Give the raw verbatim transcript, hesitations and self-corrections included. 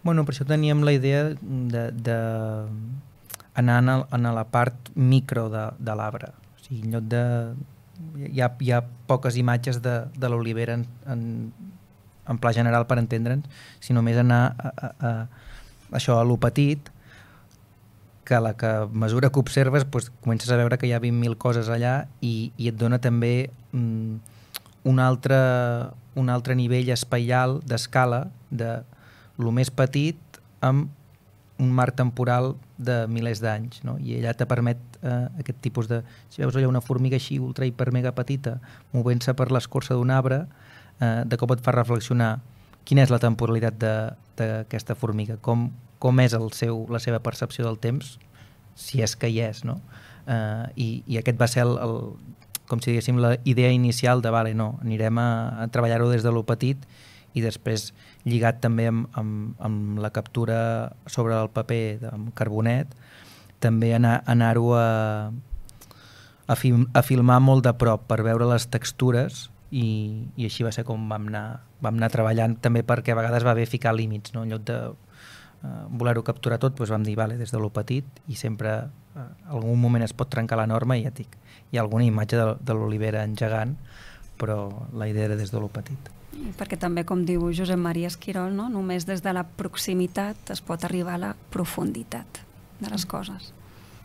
Bueno, per això teníem la idea de, de anar a, a la part micro de, de l'arbre. O sigui, en lloc de... Hi ha, hi ha poques imatges de, de l'olivera en, en, en pla general per entendre'ns, sinó més anar a, a, a, això a lo petit, que a la que a mesura que observes doncs, comences a veure que hi ha vint mil coses allà i, i et dona també mm, un, altre, un altre nivell espaial d'escala de lo més petit amb un marc temporal de milers d'anys, no? I allà te permet eh, aquest tipus de... Si veus allà una formiga així ultra hiper mega petita movent-se per l'escorça d'un arbre, eh, de cop et fa reflexionar quina és la temporalitat d'aquesta formiga, com, com és el seu, la seva percepció del temps, si és que hi és, no? Eh, i, I aquest va ser el, el, com si diguéssim la idea inicial de vale, no, anirem a, a treballar-ho des de lo petit i després lligat també amb, amb, amb la captura sobre el paper amb carbonet, també anar, anar-ho a, a, film, a filmar molt de prop per veure les textures i, i així va ser com vam anar, vam anar treballant, també perquè a vegades va bé ficar límits, no? En lloc de uh, voler-ho capturar tot, doncs vam dir vale, des de lo petit i sempre uh, algun moment es pot trencar la norma i ja et dic, hi ha alguna imatge de, de l'olivera engegant, però la idea era des de lo petit. Perquè també, com diu Josep Maria Esquirol, no? Només des de la proximitat es pot arribar a la profunditat de les coses.